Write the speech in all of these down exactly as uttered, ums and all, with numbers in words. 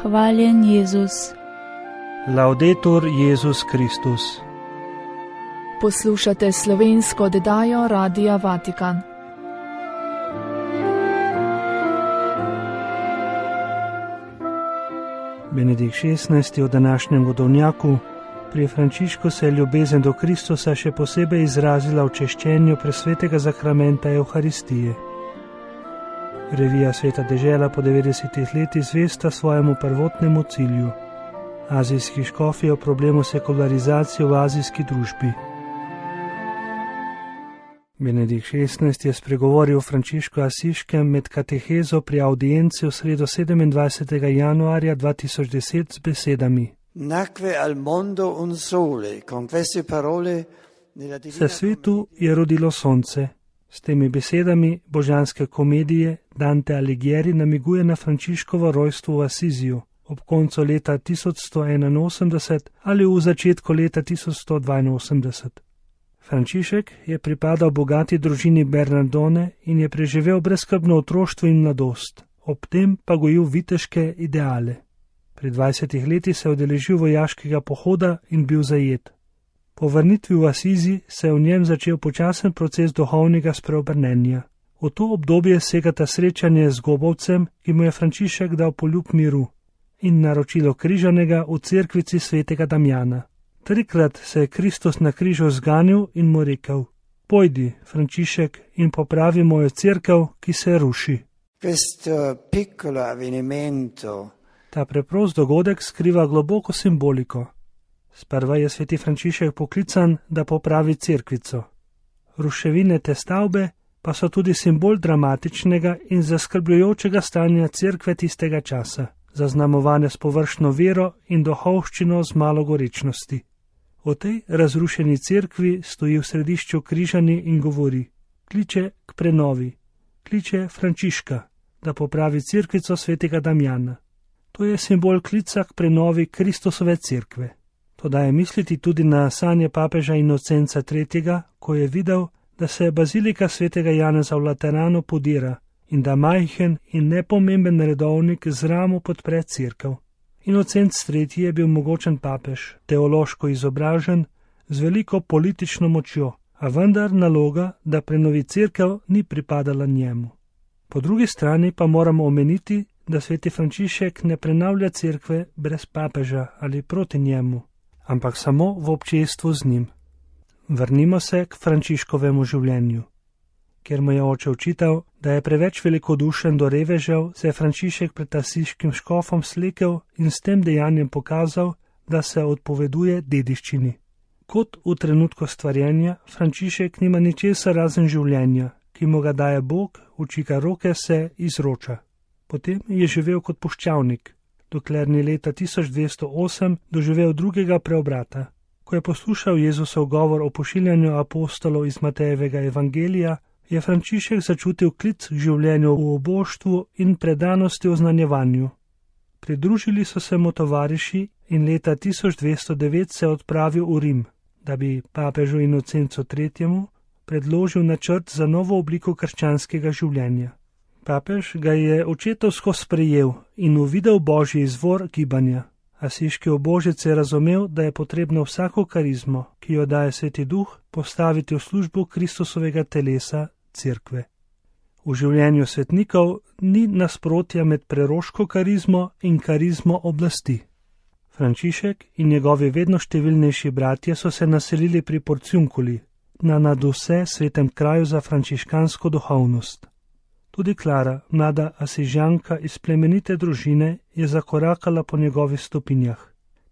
Hvaljen Jezus. Laudetur Jezus Kristus. Poslušate slovensko oddajo Radia Vatikan. Benedikt šestnajsti. V današnjem godovnjaku. Pri Frančišku se je ljubezen do Kristusa še posebej izrazila v češčenju presvetega zakramenta Evharistije. Revija Sveta dežela po devetdesetih letih zvesta svojemu prvotnemu cilju. Azijski škofi o problemu sekularizacije v azijski družbi. Benedikt šestnajsti. je spregovoril o Frančišku Asiškem med katehezo pri audienci v sredo sedemindvajsetega januarja dva tisoč deset z besedami: Nacque al mondo un sole, con queste parole nella Se svetu je rodilo sonce. S temi besedami božanske komedije Dante Alighieri namiguje na Frančiškovo rojstvo v Asiziju ob koncu leta tisoč sto enainosemdeset ali v začetku leta tisoč sto dvainosemdeset. Frančišek je pripadal bogati družini Bernardone in je preživel brezskrbno otroštvo in mladost, ob tem pa gojil viteške ideale. Pri dvajsetih letih se je udeležil vojaškega pohoda in bil zajet. Po vrnitvi v Asizi se je v njem začel počasen proces duhovnega spreobrnenja. V to obdobje segata srečanje z Gobovcem, ki mu je Frančišek dal poljub miru, in naročilo križanega v cerkvici svetega Damjana. Trikrat se je Kristus na križu zganil in mu rekel: Pojdi, Frančišek, in popravi mojo cerkev, ki se ruši. Questo piccolo avvenimento Ta preprost dogodek skriva globoko simboliko. Sprva je sveti Frančišek poklican, da popravi cerkvico. Ruševine te stavbe pa so tudi simbol dramatičnega in zaskrbljujočega stanja cerkve tistega časa, zaznamovane s površno vero in duhovščino z malo gorečnosti. V tej razrušeni cerkvi stoji v središču križani in govori: kliče k prenovi, kliče Frančiška, da popravi cerkvico svetega Damjana. To je simbol klica k prenovi Kristusove cerkve. To daje misliti tudi na sanje papeža Inocenca tretjega, ko je videl, da se bazilika svetega Janeza v Lateranu podira in da majhen in nepomemben redovnik z ramo podpre cerkev. Inocenc tretji je bil mogočen papež, teološko izobražen, z veliko politično močjo, a vendar naloga, da prenovi cerkev, ni pripadala njemu. Po drugi strani pa moramo omeniti, da sveti Frančišek ne prenavlja cerkve brez papeža ali proti njemu, ampak samo v občestvu z njim. Vrnimo se k Frančiškovemu življenju. Ker mu je oče očital, da je preveč velikodušen do revežev, se je Frančišek pred asiškim škofom slekel in s tem dejanjem pokazal, da se odpoveduje dediščini. Kot v trenutku stvarjenja, Frančišek nima ničesar razen življenja, ki mu ga daje Bog, v čika roke se izroča. Potem je živel kot puščavnik, dokler ni leta tisoč dvesto osem doživel drugega preobrata. Ko je poslušal Jezusov govor o pošiljanju apostolov iz Matejevega evangelija, je Frančišek začutil klic k življenju v oboštvu in predanosti v znanjevanju. Pridružili so se mu tovariši in leta tisoč dvesto devet se odpravil v Rim, da bi papežu Inocencu tretjemu predložil načrt za novo obliko krščanskega življenja. Papež ga je očetovsko sprejel in uvidel božji izvor gibanja. Asiški obožec je razumel, da je potrebno vsako karizmo, ki jo daje sveti duh, postaviti v službu Kristusovega telesa, cerkve. V življenju svetnikov ni nasprotja med preroško karizmo in karizmo oblasti. Frančišek in njegovi vedno številnejši bratje so se naselili pri Porciunkuli, na nadvse svetem kraju za frančiškansko duhovnost. Tudi Klara, mlada Asižanka iz plemenite družine, je zakorakala po njegovih stopinjah.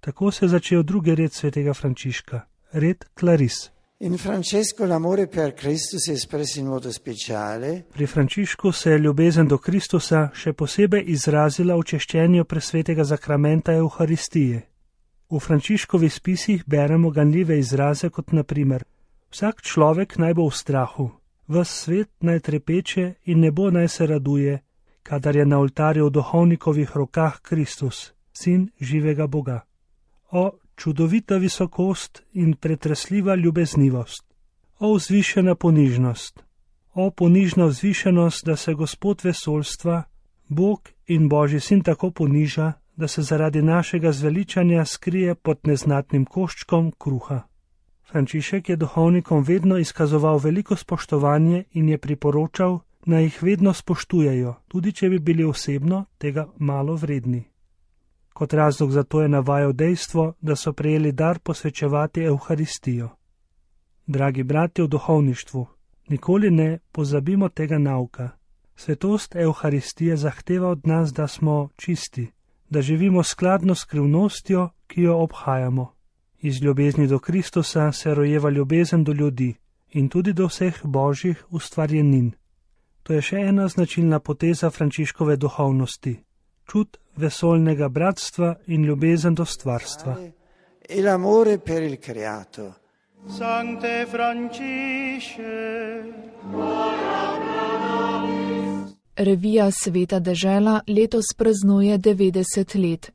Tako se je začel drugi red svetega Frančiška, red Claris. In Francesco l'amore per Cristo si espresse in modo speciale. Pri Frančišku se je ljubezen do Kristusa še posebej izrazila v češčenju presvetega zakramenta Evharistije. V Frančiškovih spisih beremo ganljive izraze kot na primer: vsak človek naj bo v strahu, ves svet naj trepeče in nebo naj se raduje, kadar je na oltarju v duhovnikovih rokah Kristus, sin živega Boga. O čudovita visokost in pretresljiva ljubeznivost, o vzvišena ponižnost, o ponižna vzvišenost, da se Gospod vesoljstva, Bog in Božji sin tako poniža, da se zaradi našega zveličanja skrije pod neznatnim koščkom kruha. Frančišek je duhovnikom vedno izkazoval veliko spoštovanje in je priporočal, naj jih vedno spoštujejo, tudi če bi bili osebno tega malo vredni. Kot razlog za to je navajal dejstvo, da so prejeli dar posvečevati Evharistijo. Dragi bratje v duhovništvu, nikoli ne pozabimo tega nauka. Svetost Evharistije zahteva od nas, da smo čisti, da živimo skladno s skrivnostjo, ki jo obhajamo. Iz ljubezni do Kristusa se rojeva ljubezen do ljudi in tudi do vseh božjih ustvarjenin. To je še ena značilna poteza Frančiškove duhovnosti, čut vesoljnega bratstva in ljubezen do stvarstva. E l'amore per il creato. Sancte Francisce. Revija Sveta dežela letos praznuje devetdeset let.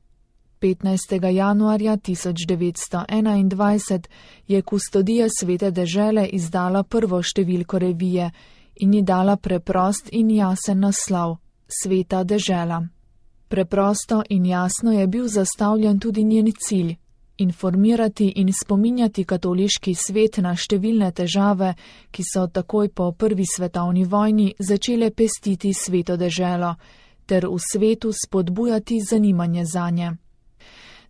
petnajstega januarja tisoč devetsto enaindvajset je kustodija Svete dežele izdala prvo številko revije in ji dala preprost in jasen naslov Sveta dežela. Preprosto in jasno je bil zastavljen tudi njen cilj: informirati in spominjati katoliški svet na številne težave, ki so takoj po prvi svetovni vojni začele pestiti Sveto deželo, ter v svetu spodbujati zanimanje zanje.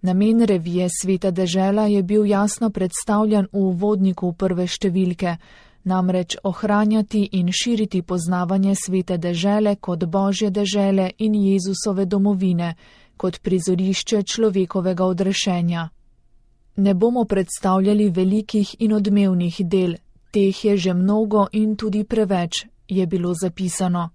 Namen revije Sveta dežela je bil jasno predstavljen v uvodniku prve številke, namreč ohranjati in širiti poznavanje Svete dežele kot Božje dežele in Jezusove domovine, kot prizorišče človekovega odrešenja. Ne bomo predstavljali velikih in odmevnih del, teh je že mnogo in tudi preveč, je bilo zapisano.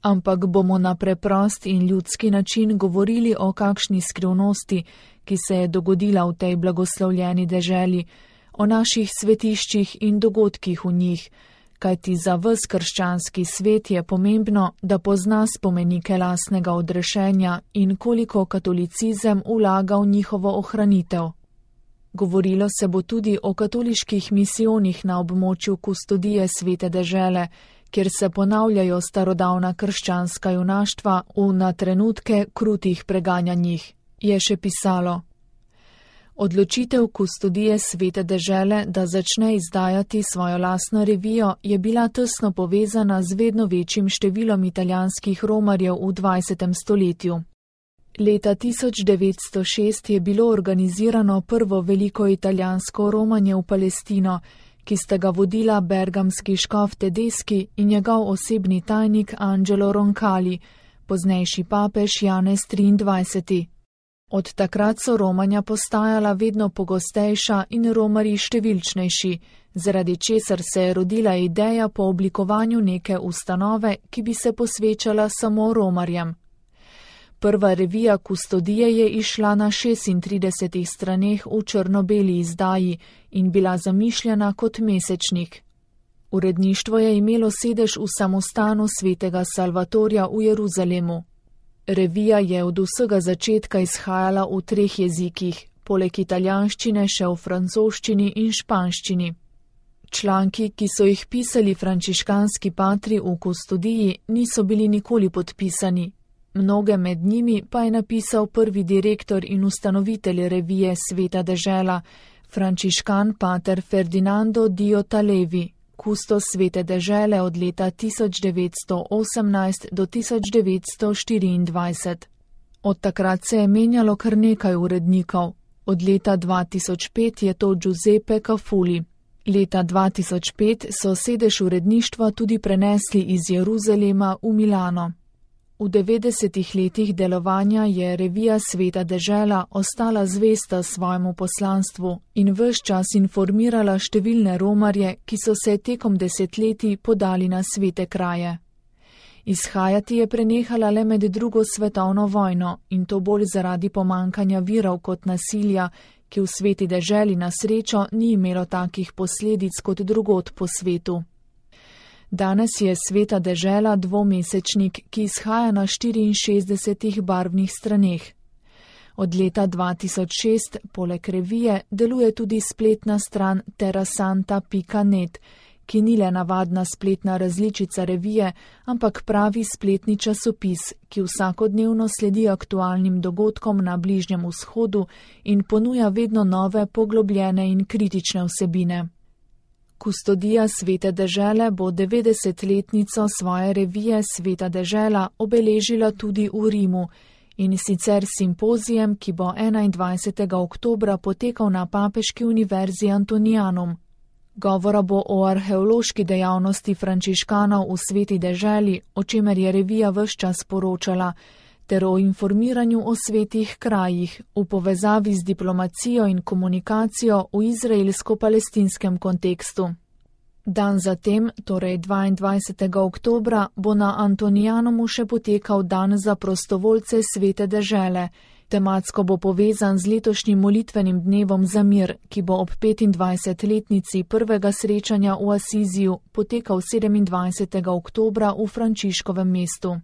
Ampak bomo na preprost in ljudski način govorili o kakšni skrivnosti, ki se je dogodila v tej blagoslovljeni deželi, o naših svetiščih in dogodkih v njih, kajti za ves krščanski svet je pomembno, da pozna spomenike lastnega odrešenja in koliko katolicizem vlaga v njihovo ohranitev. Govorilo se bo tudi o katoliških misijonih na območju kustodije Svete dežele, kjer se ponavljajo starodavna krščanska junaštva v na trenutke krutih preganjanjih, je še pisalo. Odločitev kustodije Svete dežele, da začne izdajati svojo lastno revijo, je bila tesno povezana z vedno večjim številom italijanskih romarjev v dvajsetem stoletju. Leta tisoč devetsto šest je bilo organizirano prvo veliko italijansko romanje v Palestino, ki sta ga vodila bergamski škof Tedeschi in njegov osebni tajnik Angelo Roncalli, poznejši papež Janez triindvajseti. Od takrat so romanja postajala vedno pogostejša in romarji številčnejši, zaradi česar se je rodila ideja po oblikovanju neke ustanove, ki bi se posvečala samo romarjem. Prva revija kustodije je išla na šestintridesetih straneh v črno-beli izdaji in bila zamišljena kot mesečnik. Uredništvo je imelo sedež v samostanu svetega Salvatorja v Jeruzalemu. Revija je od vsega začetka izhajala v treh jezikih, poleg italijanščine še v francoščini in španščini. Članki, ki so jih pisali frančiškanski patri v kustodiji, niso bili nikoli podpisani. Mnoge med njimi pa je napisal prvi direktor in ustanovitelj revije Sveta dežela, frančiškan pater Ferdinando Dio Talevi, kustos Svete dežele od leta tisoč devetsto osemnajst do tisoč devetsto štiriindvajset. Od takrat se je menjalo kar nekaj urednikov. Od leta dva tisoč pet je to Giuseppe Cafuli. Leta dva tisoč pet so sedež uredništva tudi prenesli iz Jeruzalema v Milano. V devetdesetih letih delovanja je revija Sveta dežela ostala zvesta svojemu poslanstvu in ves čas informirala številne romarje, ki so se tekom desetletij podali na svete kraje. Izhajati je prenehala le med drugo svetovno vojno in to bolj zaradi pomankanja virov kot nasilja, ki v Sveti deželi na srečo ni imelo takih posledic kot drugod po svetu. Danes je Sveta dežela dvomesečnik, ki izhaja na štiriinšestdesetih barvnih straneh. Od leta dva tisoč šest poleg revije deluje tudi spletna stran terasanta pika net, ki ni le navadna spletna različica revije, ampak pravi spletni časopis, ki vsakodnevno sledi aktualnim dogodkom na Bližnjem vzhodu in ponuja vedno nove, poglobljene in kritične vsebine. Kustodija Svete dežele bo devetdesetletnico svoje revije Sveta dežela obeležila tudi v Rimu, in sicer simpozijem, ki bo enaindvajsetega oktobra potekal na Papeški univerzi Antonianum. Govora bo o arheološki dejavnosti frančiškanov v Sveti deželi, o čemer je revija ves čas poročala, ter o informiranju o svetih krajih v povezavi z diplomacijo in komunikacijo v izraelsko-palestinskem kontekstu. Dan zatem, torej dvaindvajsetega oktobra, bo na Antonianumu še potekal dan za prostovoljce Svete dežele. Tematsko bo povezan z letošnjim molitvenim dnevom za mir, ki bo ob petindvajsetletnici prvega srečanja v Asiziju potekal sedemindvajsetega oktobra v Frančiškovem mestu.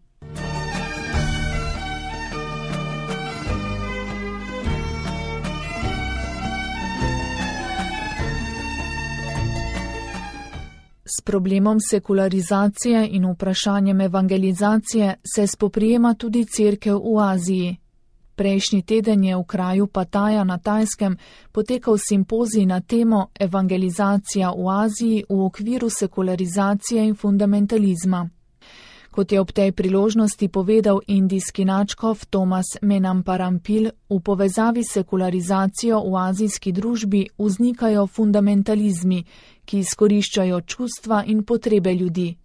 S problemom sekularizacije in vprašanjem evangelizacije se spoprijema tudi cerkev v Aziji. Prejšnji teden je v kraju Pataja na Tajskem potekal simpozij na temo Evangelizacija v Aziji v okviru sekularizacije in fundamentalizma. Kot je ob tej priložnosti povedal indijski nadškof Thomas Menamparampil, v povezavi s sekularizacijo v azijski družbi vznikajo fundamentalizmi, ki izkoriščajo čustva in potrebe ljudi.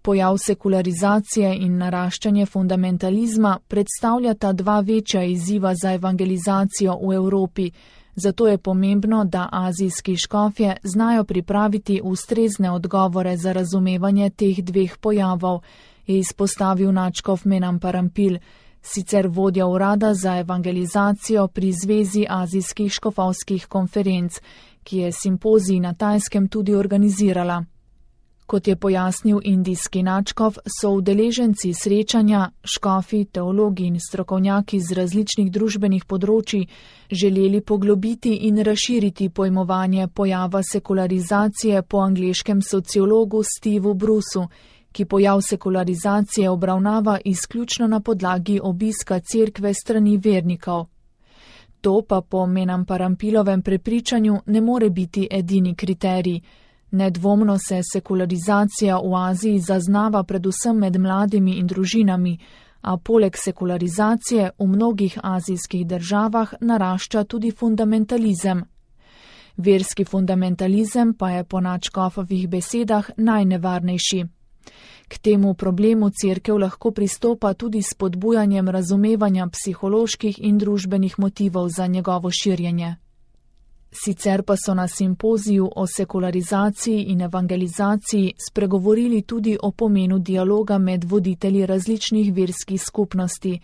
Pojav sekularizacije in naraščanje fundamentalizma predstavljata dva večja izziva za evangelizacijo v Evropi, zato je pomembno, da azijski škofje znajo pripraviti ustrezne odgovore za razumevanje teh dveh pojavov, je izpostavil nadškof Menamparampil, sicer vodja urada za evangelizacijo pri Zvezi azijskih škofovskih konferenc, ki je simpozij na Tajskem tudi organizirala. Kot je pojasnil indijski nadškof, so udeleženci srečanja, škofi, teologi in strokovnjaki z različnih družbenih področij želeli poglobiti in razširiti pojmovanje pojava sekularizacije po angleškem sociologu Steveu Bruceu, ki pojav sekularizacije obravnava izključno na podlagi obiska cerkve strani vernikov. To pa po Menamparampilovem prepričanju ne more biti edini kriterij. Nedvomno se sekularizacija v Aziji zaznava predvsem med mladimi in družinami, a poleg sekularizacije v mnogih azijskih državah narašča tudi fundamentalizem. Verski fundamentalizem pa je po nadškofovih besedah najnevarnejši. K temu problemu cerkev lahko pristopa tudi s spodbujanjem razumevanja psiholoških in družbenih motivov za njegovo širjenje. Sicer pa so na simpoziju o sekularizaciji in evangelizaciji spregovorili tudi o pomenu dialoga med voditelji različnih verskih skupnosti,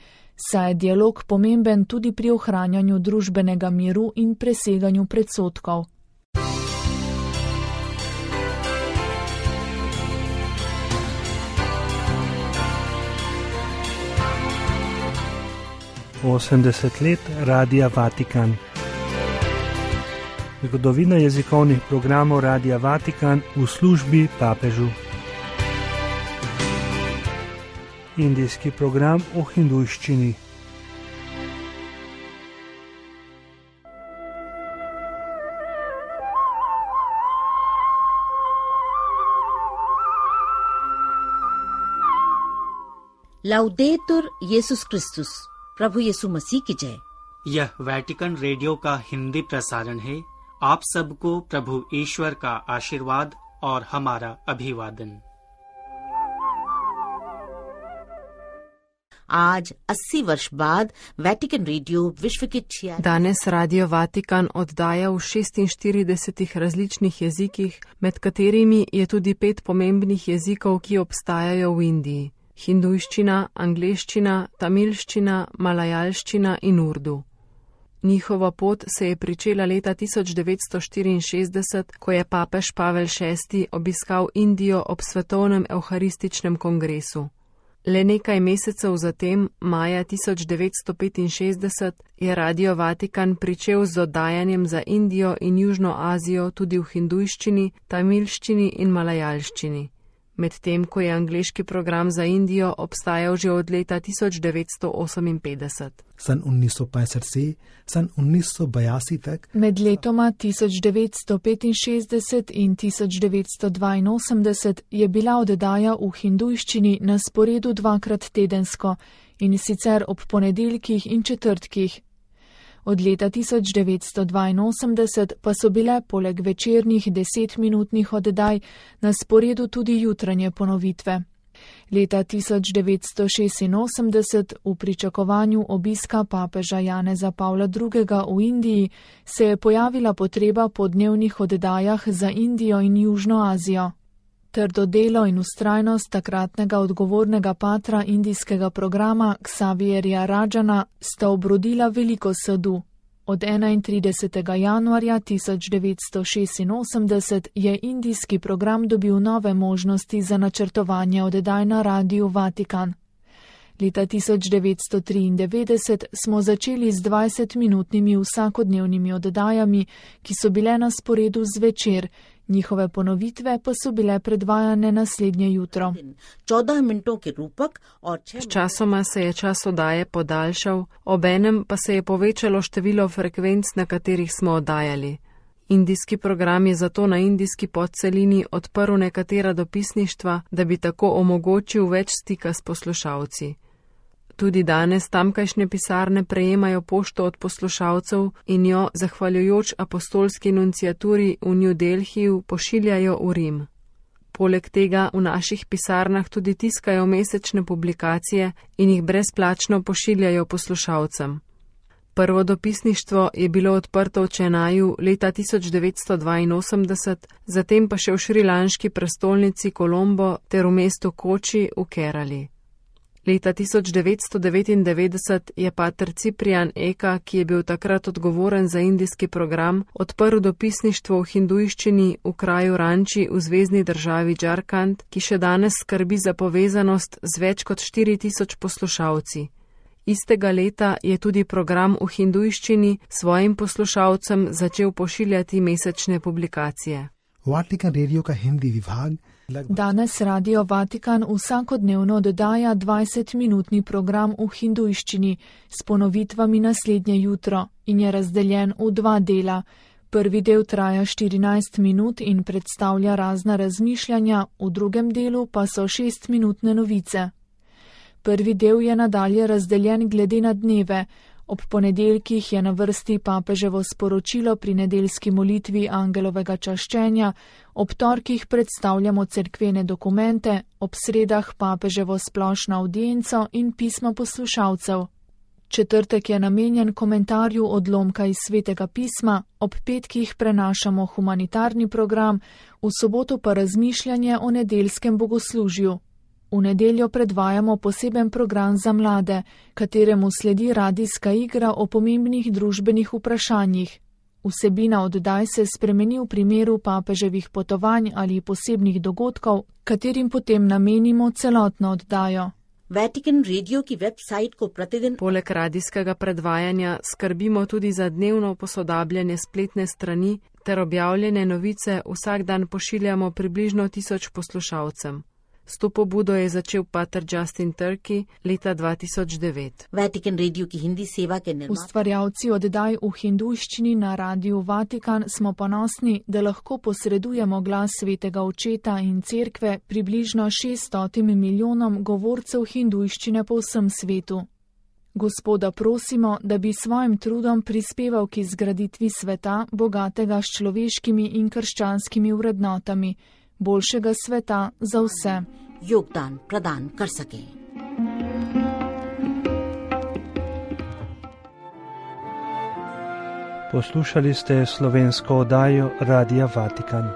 saj je dialog pomemben tudi pri ohranjanju družbenega miru in preseganju predsodkov. osemdeset let Radia Vatikan. Zgodovina jezikovnih programov Radia Vatikan v službi papežu. Indijski program o hindujščini. लाउडेतुर यीशुस क्रिस्तुस, प्रभु यीशु मसीह की जय। यह Vatican radio का हिंदी प्रसारण है। आप सबको प्रभु ईश्वर का आशीर्वाद और हमारा अभिवादन। आज अस्सी वर्ष बाद वेटिकन रेडियो विश्व के छिया Danes Radio Vatikan oddaja v šestinštiridesetih različnih jezikih, med katerimi je tudi pet pomembnih jezikov, ki obstajajo v Indiji: hindujščina, angleščina, tamilščina, malajalščina in urdu. Njihova pot se je pričela leta tisoč devetsto štiriinšestdeset, ko je papež Pavel šesti obiskal Indijo ob svetovnem evharističnem kongresu. Le nekaj mesecev zatem, maja tisoč devetsto petinšestdeset, je Radio Vatikan pričel z oddajanjem za Indijo in Južno Azijo tudi v hindujščini, tamilščini in malajalščini, medtem ko je angleški program za Indijo obstajal že od leta tisoč devetsto oseminpetdeset. सन उन्नीस सौ पैंसठ से सन उन्नीस सौ बयासी तक Med letoma tisoč devetsto petinšestdeset in tisoč devetsto dvainosemdeset je bila oddaja v hindujščini na sporedu dvakrat tedensko, in sicer ob ponedeljkih in četrtkih. Od leta tisoč devetsto dvainosemdeset pa so bile poleg večernih desetminutnih oddaj na sporedu tudi jutranje ponovitve. Leta tisoč devetsto šestinosemdeset, v pričakovanju obiska papeža Janeza Pavla drugega. v Indiji, se je pojavila potreba po dnevnih oddajah za Indijo in Južno Azijo. Trdo delo in vztrajnost takratnega odgovornega patra indijskega programa Xavierja Rajana sta obrodila veliko sadu. Od enaintridesetega januarja tisoč devetsto šestinosemdeset je indijski program dobil nove možnosti za načrtovanje oddaj na Radiu Vatikan. Leta tisoč devetsto triindevetdeset smo začeli z dvajsetminutnimi vsakodnevnimi oddajami, ki so bile na sporedu zvečer, njihove ponovitve pa so bile predvajane naslednje jutro. Sčasoma se je čas oddaje podaljšal, obenem pa se je povečalo število frekvenc, na katerih smo oddajali. Indijski program je zato na indijski podcelini odprl nekatera dopisništva, da bi tako omogočil več stika s poslušalci. Tudi danes tamkajšnje pisarne prejemajo pošto od poslušalcev in jo, zahvaljujoč apostolski nunciaturi v New Delhiju, pošiljajo v Rim. Poleg tega v naših pisarnah tudi tiskajo mesečne publikacije in jih brezplačno pošiljajo poslušalcem. Prvo dopisništvo je bilo odprto v Čenaju leta tisoč devetsto dvainosemdeset, zatem pa še v šrilanški prestolnici Kolombo ter v mestu Koči v Kerali. Leta tisoč devetsto devetindevetdeset je pater Ciprian Eka, ki je bil takrat odgovoren za indijski program, odprl dopisništvo v hindujščini v kraju Ranči v zvezni državi Džarkand, ki še danes skrbi za povezanost z več kot štiri tisoč poslušalci. Istega leta je tudi program v hindujščini svojim poslušalcem začel pošiljati mesečne publikacije. Vatican radio का हिंदी विभाग Danes Radio Vatikan vsakodnevno oddaja dvajsetminutni program v hindujščini s ponovitvami naslednje jutro in je razdeljen v dva dela. Prvi del traja štirinajst minut in predstavlja razna razmišljanja, v drugem delu pa so šestminutne novice. Prvi del je nadalje razdeljen glede na dneve. Ob ponedeljkih je na vrsti papeževo sporočilo pri nedeljski molitvi angelovega čaščenja, ob torkih predstavljamo cerkvene dokumente, ob sredah papeževo splošno avdienco in pismo poslušalcev. Četrtek je namenjen komentarju odlomka iz svetega pisma, ob petkih prenašamo humanitarni program, v soboto pa razmišljanje o nedeljskem bogoslužju. V nedeljo predvajamo poseben program za mlade, kateremu sledi radijska igra o pomembnih družbenih vprašanjih. Vsebina oddaj se spremeni v primeru papeževih potovanj ali posebnih dogodkov, katerim potem namenimo celotno oddajo. Vatikan Radio ki website ko प्रतिदिन Poleg radijskega predvajanja skrbimo tudi za dnevno posodabljanje spletne strani ter objavljene novice vsak dan pošiljamo približno tisoč poslušalcem. S to pobudo je začel pater Justin Turkey leta dva tisoč devet. Vatikan Radio ki hindi seva ke निर्माण Ustvarjalci oddaj v hindujščini na Radiu Vatikan smo ponosni, da lahko posredujemo glas svetega očeta in cerkve približno šeststotim milijonom govorcev hindujščine po vsem svetu. Gospoda prosimo, da bi svojim trudom prispeval k izgraditvi sveta, bogatega s človeškimi in krščanskimi vrednotami, boljšega sveta za vse. योगदान प्रदान कर सके। Poslušali ste slovensko oddajo Radia Vatikan.